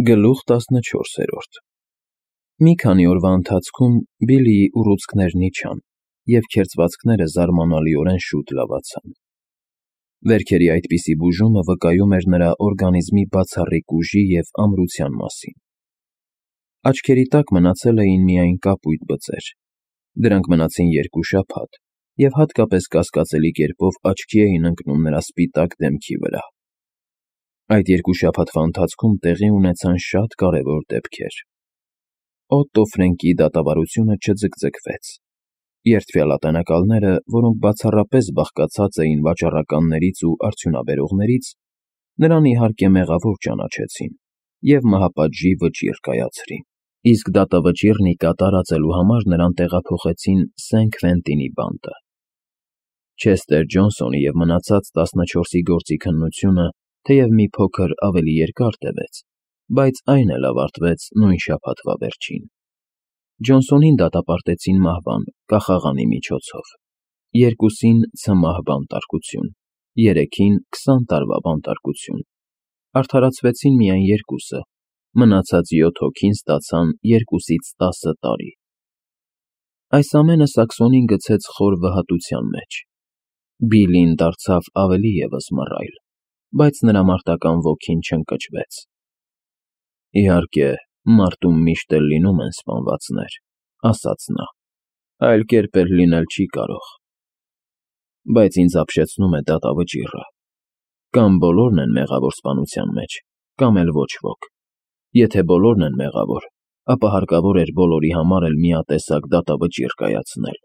Գլուխ 14 Մի քանի օրվա ընթացքում Բիլլիի ուռուցքներն իջան, և քերծվածքները զարմանալիորեն շուտ լավացան։ Վերքերի այդպիսի բուժումը վկայում էր նրա օրգանիզմի բացառիկ ուժի և ամրության մասին։ Աչքերի տակ մնացել էին միայն կապույտ բծեր։ Դրանք մնացին 2 շաբաթ, և հատկապես կասկածելի կերպով աչքի էին ընկնում նրա սպիտակ դեմքի վրա։ Այդ 2 շաբաթվա ընթացքում տեղի ունեցան շատ կարևոր դեպքեր։ Օտտո Ֆրենկի դատավարությունը չձգձգվեց։ Երդվյալատենակալները, որոնք բացառապես բաղկացած էին վաճառականներից ու արդյունաբերողներից, նրան իհարկե մեղավոր ճանաչեցին և մահապատժի վճիռ կայացրին, իսկ դատավճիռն ի կատար ածելու համար նրան տեղափոխեցին Սեն Քվենտինի բանտը։ Չեսթեր Ջոնսոնի և մնացած 14-ի գործի քննությունը թեև մի փոքր ավելի երկար տևեց, բայց այն էլ ավարտվեց նույն շաբաթվա վերջին։ Ջոնսոնին դատապարտեցին մահվան կախաղանի միջոցով, 2-ին ցմահ բանտարկություն, 3-ին 20 տարվա բանտարկություն։ Արդարացվեցին միայն 2-ը, մնացած 7 հոգին ստացան 2-ից 10 տարի։ Այս ամենը Սաքսոնին գցեց խոր վհատության մեջ։ Բիլլին դարձավ ավելի ևս մռայլ, բայց նրա մարտական ոգին չընկճվեց։ Իհարկե, մարտում միշտ էլ լինում են սպանվածներ, ասաց նա, այլ կերպ էլ լինել չի կարող։ Բայց ինձ ապշեցնում է դատավճիռը։ Կամ բոլորն են մեղավոր սպանության մեջ, կամ էլ ոչ ոք։ Եթե բոլորն են մեղավոր, ապա հարկավոր էր բոլորի համար էլ միատեսակ դատավճիռ կայացնել։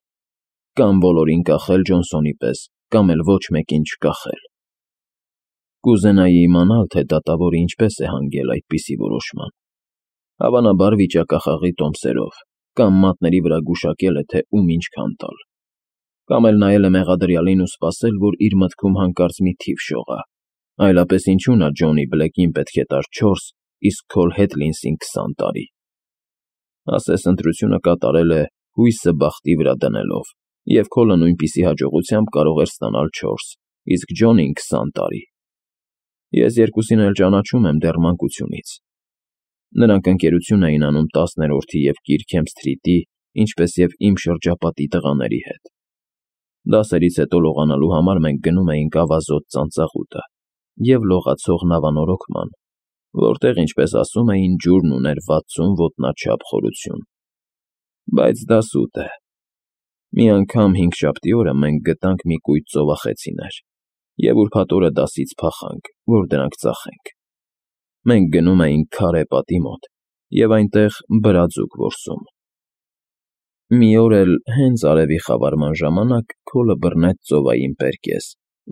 Կամ բոլորին կախել Ջոնսոնի պես, կամ էլ ոչ մեկին չկախել։ Կուզենայի իմանալ, թե դատավորը ինչպես է հանգել այդպիսի որոշման։ Հավանաբար վիճակախաղի տոմսերով, կամ մատների վրա գուշակել է, թե ում ինչքան տալ։ Կամ էլ նայել է մեղադրյալին ու սպասել, որ իր մտքում հանկարծ մի թիվ շողա։ Այլապես ինչու նա Ջոնի Բլեքին պետք է տար 4, իսկ Քոլ Հեթլինսին 20 տարի։ Ասես ընտրությունը կատարել է հույսը բախտի վրա դնելով, և Քոլը նույնպիսի հաջողությամբ կարող էր ստանալ 4, իսկ Ջոնին 20 տարի։ Ես երկուսին էլ ճանաչում եմ դեռ մանկությունից։ Նրանք ընկերություն էին անում 10-րդի և Կիրքհեմփ Սթրիթի, ինչպես և իմ շրջապատի տղաների հետ։ Դասերից հետո լողանալու համար մենք գնում էինք ավազոտ ծանծաղուտը և լողացող նավանորոգման, որտեղ, ինչպես ասում էին, ջուրն ուներ 60 ոտնաչափ խորություն։ Բայց դա սուտ է։ Մի անգամ հինգշաբթի օրը մենք գտանք մի կույտ ծովախեցիներ և ուրբաթ օրը դասից փախանք, որ դրանք ծախենք։ Մենք գնում էինք քարե պատի մոտ և այնտեղ բրաձուկ որսում։ Մի օր էլ հենց արևի խավարման ժամանակ Քոլը բռնեց ծովային պերկես,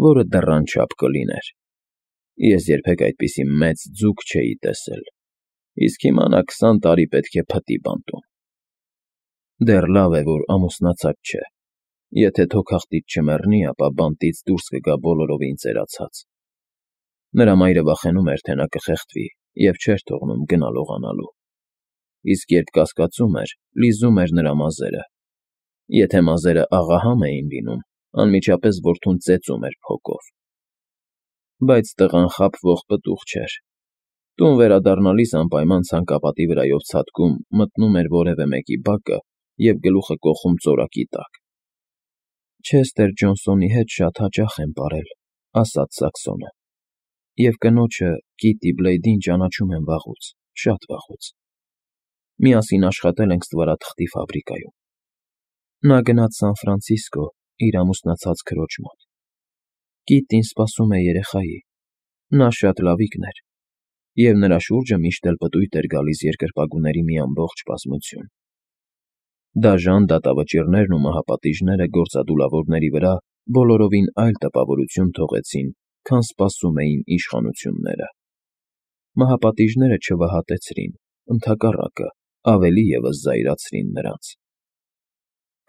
որը դռան չափ կլիներ։ Ես երբեք այդպիսի մեծ ձուկ չէի տեսել, իսկ հիմա նա 20 տարի պետք է փտի բանտում։ Դեռ լավ է, որ ամուսնացած չէ։ Եթե թոքախտից չմեռնի, ապա բանտից դուրս կգա բոլորովին ծերացած։ Նրա մայրը վախենում էր, թե նա կխեղդվի և չէր թողնում գնա լողանալու։ Իսկ երբ կասկածում էր, լիզում էր նրա մազերը։ Եթե մազերը աղահամ էին լինում, անմիջապես որդուն ծեծում էր փոկով։ Բայց տղան խաբվող պտուղ չէր։ Տուն վերադառնալիս անպայման ցանկապատի վրայով ցատկում մտնում էր որևէ մեկի բակը և գլուխը կոխում ծորակի տակ։ Չեսթեր Ջոնսոնի հետ շատ հաճախ եմ պարել, ասաց Սաքսոնը, և կնոջը՝ Կիտի Բլեյդին ճանաչում եմ վաղուց, շատ վաղուց։ Միասին աշխատել ենք ստվարաթղթի ֆաբրիկայում։ Նա գնաց Սան Ֆրանցիսկո իր ամուսնացած քրոջ մոտ։ Կիտին սպասում է երեխայի։ Նա շատ լավիկն էր, և նրա շուրջը միշտ էլ պտույտ էր գալիս երկրպագուների մի ամբողջ բազմություն։ Դաժան դատավճիռներն ու մահապատիժները գործադուլավորների վրա բոլորովին այլ տպավորություն թողեցին, քան սպասում էին իշխանությունները։ Մահապատիժները չվհատեցրին, ընդհակառակը, ավելի ևս զայրացրին նրանց։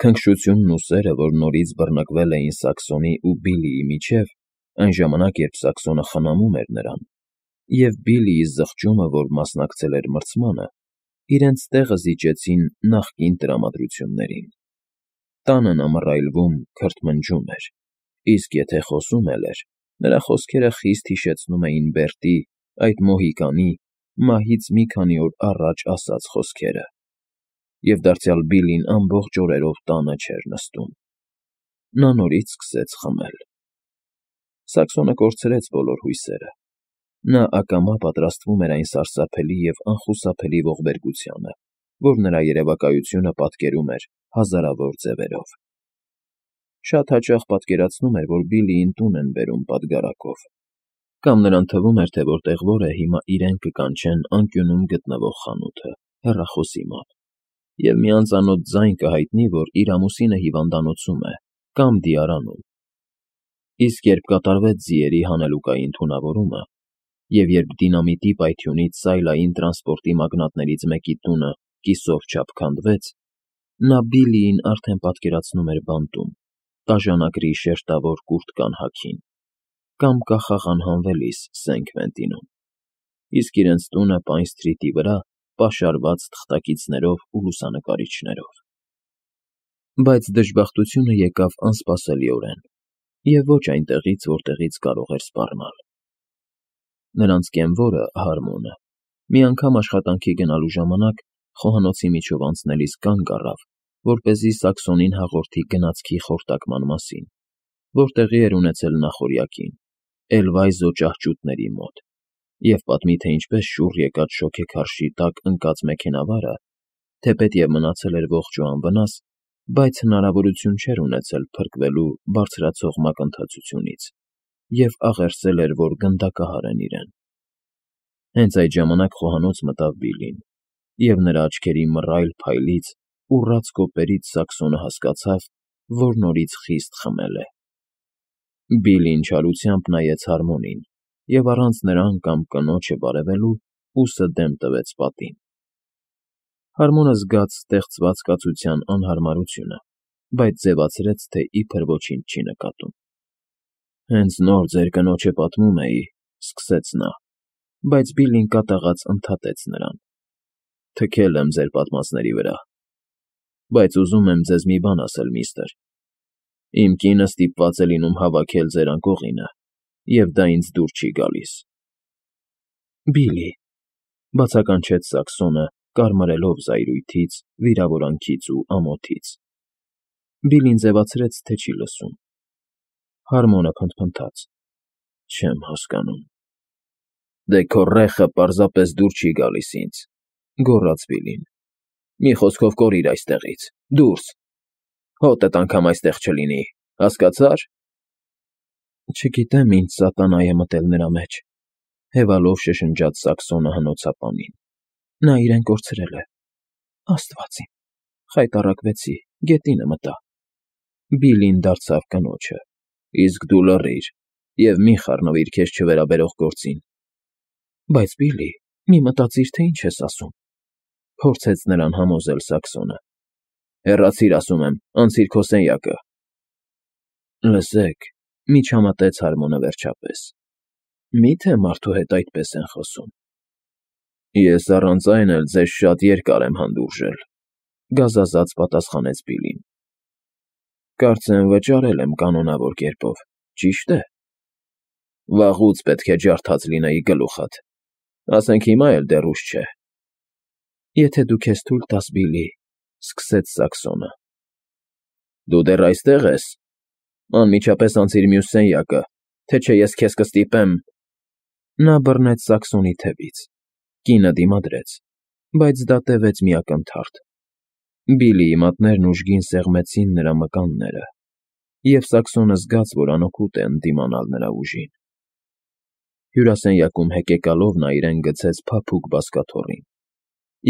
Քնքշությունն ու սերը, որ նորից բռնկվել էին Սաքսոնի ու Բիլլիի միջև, այն ժամանակ, երբ Սաքսոնը խնամում էր նրան, և Բիլլիի զղջումը, որ մասնակցել էր մրցմանը, իրենց տեղը զիջեցին նախկին տրամադրություններին։ Տանը նա մռայլվում, քրթմնջում էր, իսկ եթե խոսում էլ էր, նրա խոսքերը խիստ հիշեցնում էին Բերտի, այդ մոհիկանի, մահից մի քանի օր առաջ ասած խոսքերը, և դարձյալ Բիլին ամբողջ օրերով տանը չէր նստում։ Նա նորից սկսեց խմել։ Սաքսոնը կորցրեց բոլոր հույսերը։ Նա ակամա պատրաստվում էր այն սարսափելի և անխուսափելի ողբերգությանը, որ նրա երևակայությունը պատկերում էր հազարավոր ձևերով։ Շատ հաճախ պատկերացնում էր, որ Բիլիին տուն են բերում պատգարակով, կամ նրան թվում էր, թե որտեղ որ է, հիմա իրեն կկանչեն անկյունում գտնվող խանութը, հեռախոսի մոտ, և մի անծանոթ ձայն կհայտնի, որ իր ամուսինը հիվանդանոցում է կամ դիարանում։ Իսկ երբ կատարվեց ձիերի հանելուկային թունավորումը, և երբ դինամիտի պայթյունից սայլային տրանսպորտի մագնատներից մեկի տունը կիսով չափ քանդվեց, նա Բիլիին արդեն պատկերացնում էր բանտում, տաժանակրի շերտավոր կուրտկան հագին, կամ կախաղ անհանվելիս Սենքվենտինում, իսկ իրենց տունը Պայն Սթրիթի վրա պաշարված թղթակիցներով ու լուսանկարիչներով։ Բայց դժբախտությունը եկավ անսպասելիորեն և ոչ այնտեղից, որտեղից կարող էր սպառնալ։ Նրանց կենվորը՝ Հարմոնը, մի անգամ աշխատանքի գնալու ժամանակ խոհանոցի միջով անցնելիս կանգ առավ, որպեսզի Սաքսոնին հաղորդի գնացքի խորտակման մասին, որ տեղի էր ունեցել նախօրյակին, Էլվայզո ճահճուտների մոտ, և պատմի, թե ինչպես շուռ եկած շոգեքարշի տակ ընկած մեքենավարը, թեպետև մնացել էր ողջ ու անվնաս, բայց հնարավորություն չէր ունեցել փրկվելու բարձրացող մակընթացությունից և աղերսել էր, որ գնդակահար են իրեն։ Հենց այդ ժամանակ խոհանոց մտավ Բիլին, և նրա աչքերի մռայլ փայլից, ուռած կոպերից Սաքսոնը հասկացավ, որ նորից խիստ խմել է։ Բիլին չարությամբ նայեց Հարմոնին և առանց նրան կամ կնոջը բարևելու ուսը դեմ տվեց պատին։ Հարմոնը զգաց ստեղծված կացության անհարմարությունը, բայց ձևացրեց, թե իբր ոչինչ չի նկատում։ «Հենց նոր ձեր կնոջը պատմում էի», ֊ սկսեց նա, բայց Բիլին կատաղած ընդհատեց նրան. «Թքել եմ ձեր պատմածների վրա, բայց ուզում եմ ձեզ մի բան ասել, միստր. իմ կինը ստիպված է լինում հավաքել ձեր անկողինը, և դա ինձ դուր չի գալիս»։ «Բիլի», ֊ բացականչեց Սաքսոնը, կարմրելով զայրույթից, վիրավորանքից ու ամոթից։ Բիլին ձևացրեց, թե չի լսում։ Հարմոնը փնթփնթաց. «Չեմ հասկանում»։ «Դե քո ռեխը պարզապես դուր չի գալիս ինձ», ֊ գոռաց Բիլին։ «Մի խոսքով կորիր այստեղից, դուրս, հոտդ անգամ այստեղ չլինի, հասկացա՞ր»։ «Չգիտեմ, ինչ սատանա է մտել նրա մեջ», ֊ հևալով շշնջաց Սաքսոնը հնոցապանին։ «Նա իրեն կորցրել է։ Աստված իմ, խայտառակվեցի, գետինը մտա»։ Բիլին դարձավ կնոջը. «Իսկ դու լռիր և մի խառնվիր քեզ չվերաբերող գործին»։ «Բայց, Բիլի, մի մտածիր, թե ինչ ես ասում», ֊ փորձեց նրան համոզել Սաքսոնը։ «Հեռացիր, ասում եմ, անցիր քո սենյակը»։ «Լսեք», ֊ միջամտեց Հարմոնը վերջապես, «մի՞թե մարդու հետ այդպես են խոսում»։ «Ես առանց այն էլ ձեզ շատ երկար եմ հանդուրժել», ֊ գազազած պատասխանեց Բիլին։ «Կարծեմ վճարել եմ կանոնավոր կերպով, ճի՞շտ է»։ «Վաղուց պետք է ջարդած լինեի գլուխդ, ասենք հիմա էլ դեռ ուշ չէ»։ «Եթե դու քեզ թույլ տաս, Բիլի», ֊ սկսեց Սաքսոնը։ «Դու դեռ այստեղ ես։ Անմիջապես անցիր մյուս սենյակը, թե չէ ես քեզ կստիպեմ»։ Նա բռնեց Սաքսոնի թևից։ Կինը դիմադրեց, բայց դա տևեց մի ակնթարթ։ Բիլիի մատներն ուժգին սեղմեցին նրա մկանները, և Սաքսոնը զգաց, որ անօգուտ է ընդդիմանալ նրա ուժին։ Հյուրասենյակում հեկեկալով նա իրեն գցեց փափուկ բազկաթոռին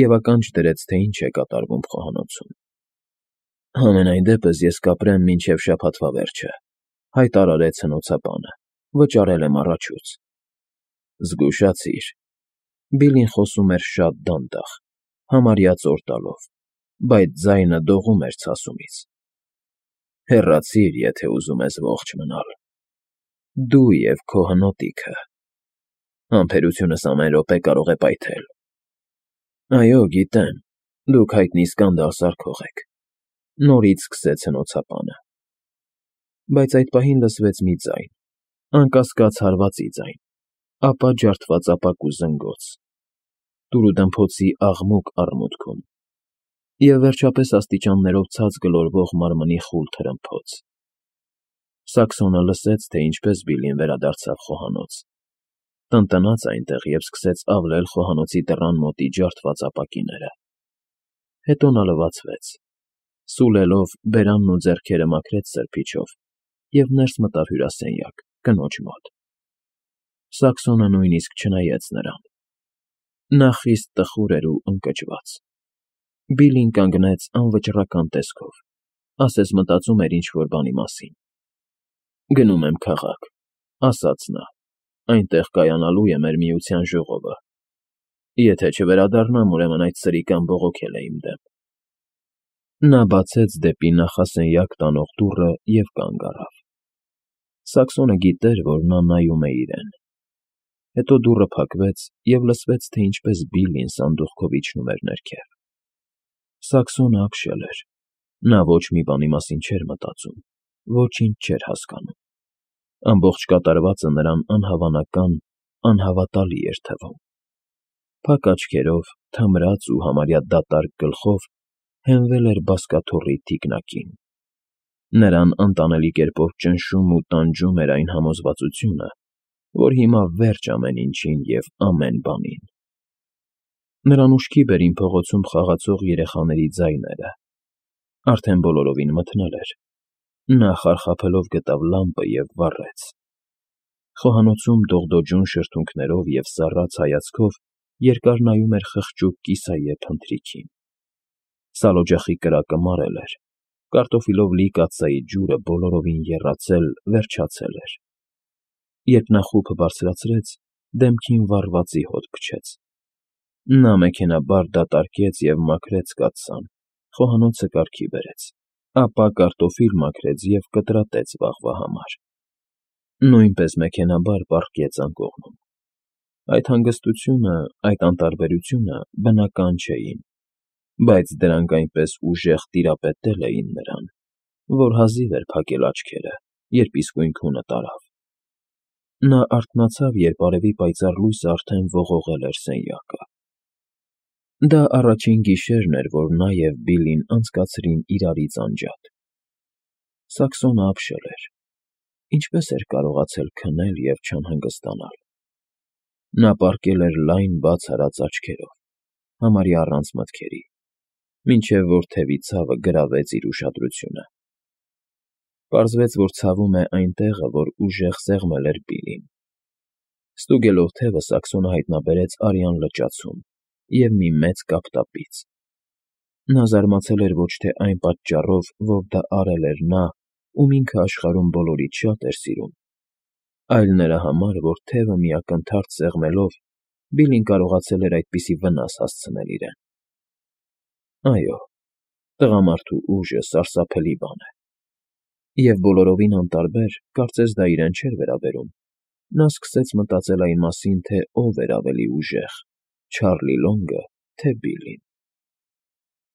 և ականջ դրեց, թե ինչ է կատարվում խոհանոցում։ «Համենայն դեպս ես կապրեմ մինչև շաբաթվա վերջը», ֊ հայտարարեց հնոցապանը, ֊ վճարել եմ առաջուց։ «Զգուշացիր»։ Բիլին խոսում էր շատ դանդաղ, համարյա ծոր տալով, բայց ձայնը դողում էր ցասումից։ «Հեռացիր, եթե ուզում ես ողջ մնալ։ Դու և քո հնոտիքը։ Համբերությունս ամեն րոպե կարող է պայթել»։ «Այո, գիտեմ, դուք հայտնի սկանդալ սարքող եք», ֊ նորից սկսեց հնոցապանը։ Բայց այդ պահին լսվեց մի ձայն, անկասկած հարվածի ձայն, ապա ջարդված ապակու զնգոց։ տուրուդմփոցի աղմուկ առմուտքում և վերջապես աստիճաններով ցած գլորվող մարմնի խուլ թրմփոց։ Սաքսոնը լսեց, թե ինչպես Բիլլին վերադարձավ խոհանոց, տնտնաց այնտեղ և սկսեց ավլել խոհանոցի դռան մոտի ջարդված ապակիները։ Հետո նա լվացվեց, սուլելով բերանն ու ձեռքերը մաքրեց սրբիչով և ներս մտավ հյուրասենյակ, կնոջ մոտ։ Սաքսոնը նույնիսկ չնայեց նրան։ Նա խիստ տխուր էր ու ընկճված։ Բիլլին կանգնեց անվճռական տեսքով, ասես մտածում էր ինչ֊որ բանի մասին։ «Գնում եմ քաղաք,֊ ասաց նա,֊ այնտեղ կայանալու է մեր միության ժողովը։ Եթե չվերադառնամ, ուրեմն այդ սրիկան բողոքել է իմ դեմ»։ Նա բացեց դեպի նախասենյակ տանող դուռը և կանգ առավ։ Սաքսոնը գիտեր, որ նա նայում է իրեն։ Հետո դուռը փակվեց, և լսվեց, թե ինչպես Բիլլին սանդուղքով իջնում էր ներքև։ Սաքսոնը ապշել էր։ Նա ոչ մի բանի մասին չէր մտածում, ոչինչ չէր հասկանում։ Ամբողջ կատարվածը նրան անհավանական, անհավատալի էր թվում։ Փակ աչքերով, թմրած ու համարյա դատարկ գլխով հենվել էր բազկաթոռի թիկնակին։ Նրան անտանելի կերպով ճնշում ու տանջում էր այն համոզվածությունը, որ հիմա վերջ ամեն ինչին և ամեն բանին։ Նրան ուշքի բերին փողոցում խաղացող երեխաների ձայները։ Արդեն բոլորովին մթնել էր։ Նա խարխափելով գտավ լամպը և վառեց։ Խոհանոցում դողդոջուն շրթունքներով և սառած հայացքով երկար նայում էր խղճուկ կիսայե փնթրիքին։ Սալօջախի կրակը մարել էր, կարտոֆիլով լի կաթսայի ջուրը բոլորովին եռացել, վերջացել էր։ Երբ նա խուփը բարձրացրեց, դեմքին վառվածի հոտ փչեց։ Նա մեքենայաբար դատարկեց և մաքրեց կաթսան, խոհանոցը կարգի բերեց, ապա կարտոֆիլ մաքրեց և կտրատեց վաղվա համար։ Նույնպես մեքենայաբար պառկեց անկողնում։ Այդ հանգստությունը, այդ անտարբերությունը բնական չէին, բայց դրանք այնպես ուժեղ տիրապետել էին նրան, որ հազիվ էր փակել աչքերը, երբ իսկույն քունը տարավ։ Նա արթնացավ, երբ արևի պայծառ լույսը արդեն ողողել էր սենյակը։ Դա առաջին գիշերն էր, որ նա և Բիլլին անցկացրին իրարից անջատ։ Սաքսոնը ապշել էր։ Ինչպե՞ս էր կարողացել քնել և չանհանգստանալ։ Նա պառկել էր լայն բաց արած աչքերով, համարյա առանց մտքերի, մինչև որ թևի ցավը գրավեց իր ուշադրությունը։ Պարզվեց, որ ցավում է այն տեղը, որ ուժեղ սեղմել էր Բիլլին։ Ստուգելով թևը՝ Սաքսոնը հայտնաբերեց արյան լճացում և մի մեծ կապտապից։ Նա զարմացել էր ոչ թե այն պատճառով, որ դա արել էր նա, ում ինքը աշխարհում բոլորից շատ էր սիրում, այլ նրա համար, որ թևը մի ակնթարթ սեղմելով Բիլլին կարողացել էր այդպիսի վնաս հասցնել իրեն։ Այո, տղամարդու ուժը սարսափելի բան է։ Եվ բոլորովին անտարբեր, կարծես դա իրեն չէր վերաբերում, նա սկսեց մտածել այն մասին, թե ով էր ավելի ուժեղ՝ Չարլի Լոնգը, թե Բիլլին։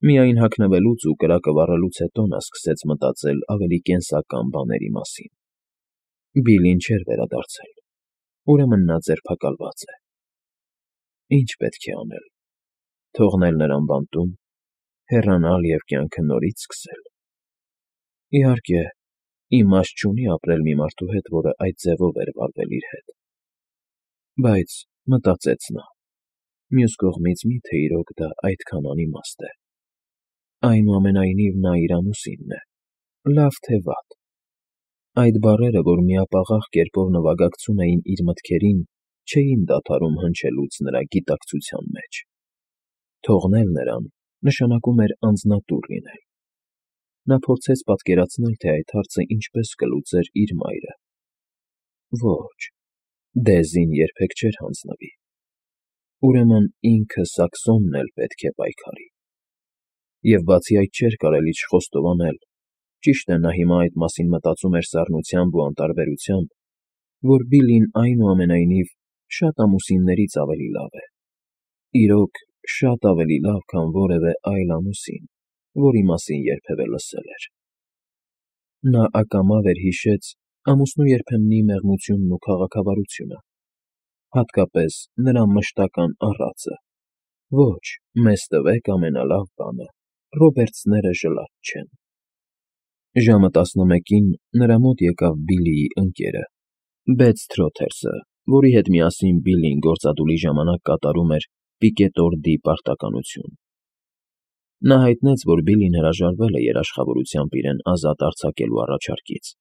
Միայն հագնվելուց ու կրակը վառելուց հետո նա սկսեց մտածել ավելի կենսական բաների մասին։ Բիլլին չէր վերադարձել, ուրեմն նա ձերբակալված է։ Ինչ պետք է անել։ Թողնել նրան բանտում, հեռանալ և կյանքը նորից սկսել։ Իհարկե, իմաստ չունի ապրել մի մարդու հետ, որը այդ ձևով էր վարվել իր հետ։ Բայց, մտածեց նա, մյուս կողմից մի՞թե իրոք դա այդքան անիմաստ է։ Այնուամենայնիվ նա իր ամուսինն է, լավ թե վատ։ Այդ բառերը, որ միապաղաղ կերպով նվագակցում էին իր մտքերին, չէին դադարում հնչելուց նրա գիտակցության մեջ։ Թողնել նրան նշանակում էր անձնատուր լինել։ Նա փորձեց պատկերացնել, թե այդ հարցը ինչպես կլուծեր իր մայրը։ Ոչ, Դեզին երբեք չէր հանձնվի։ Ուրեմն ինքը Սաքսոնն էլ պետք է պայքարի։ Եվ բացի այդ չէր կարելի չխոստովանել, ճիշտ է, նա հիմա այդ մասին մտածում էր սառնությամբ ու անտարբերությամբ, որ Բիլլին այնուամենայնիվ շատ ամուսիններից ավելի լավ է։ Իրոք, շատ ավելի լավ, քան որևէ այլ ամուսին, որի մասին երբևէ լսել էր։ Նա ակամա վերհիշեց ամուսնու երբեմնի մեղմությունն ու քաղաքավարությունը, հատկապես նրա մշտական առածը, Ոչ, մեզ տվեք ամենալավ բանը, Ռոբերտսները ժլատ չեն։ Ժամը 11-ին նրա մոտ եկավ Բիլլիի ընկերը, Բեթ Սթրոթերսը, որի հետ միասին Բիլլին գործադուլի ժամանակ կատարում էր պիկետորդի պարտականություն։ Նա հայտնեց, որ Բիլլին հրաժարվել է երաշխավորությամբ իրեն ազատ արձակելու առաջարկից,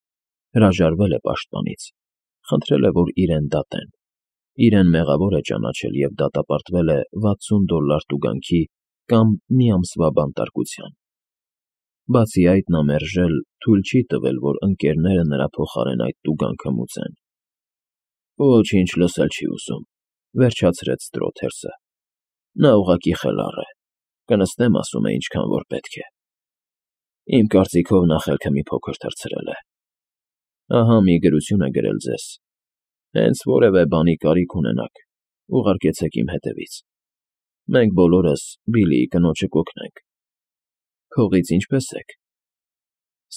հրաժարվել է պաշտպանից, խնդրել է, որ իրեն դատեն, իրեն մեղավոր է ճանաչել և դատապարտվել է $60 տուգանքի կամ մի ամսվա բանտարկության։ Բացի այդ, նա մերժել, թույլ չի տվել, որ ընկերները նրա փոխարեն այդ տուգանքը մուծեն։ Ոչինչ լսել չի ուզում, վերջացրեց Սթրոթերսը։ Նա ուղղակի խելառ է, կնստեմ ասում է ինչքան որ պետք է։ Իմ կարծիքով նա խելքը մի փոքր թռցրել է։ Ահա մի գրություն է գրել ձեզ։ Հենց որևէ բանի կարիք ունենաք, ուղարկեցեք իմ հետևից։ Մենք բոլորս Բիլլիի կնոջը կօգնենք։ Փողից ինչպե՞ս եք։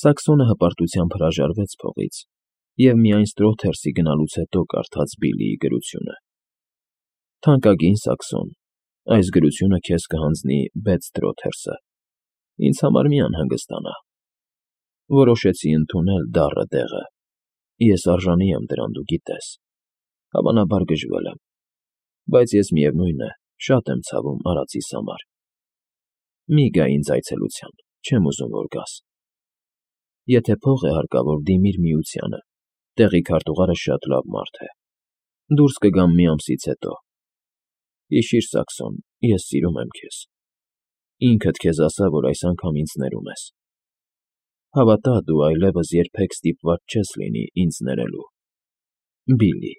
Սաքսոնը հպարտությամբ հրաժարվեց փողից և միայն Սթրոթերսի գնալուց հետո կարդաց Բիլլիի գրությունը։ Թանկագին Սաքսոն, այս գրությունը քեզ կհանձնի Բեթ Սթրոթերսը։ Ինձ համար մի անհանգստանա։ Որոշեցի ընդունել դառը դեղը։ Ես արժանի եմ դրան, դու գիտես։ Հավանաբար գժվել եմ, բայց ես միևնույն է, շատ եմ ցավում արածիս համար։ Մի գա ինձ այցելության, չեմ ուզում, որ գաս։ Եթե փող է հարկավոր, դիմիր Միությանը, տեղի քարտուղարը շատ լավ մարդ է։ Դուրս կգամ մի ամսից հետո։ Հիշիր, Սաքսոն, ես սիրում եմ քեզ։ Ինքդ քեզ ասա, որ այս անգամ ինձ ներում ես։ Հավատա, դու այլևս երբեք ստիպված չես լինի ինձ ներելու։ Բիլլի։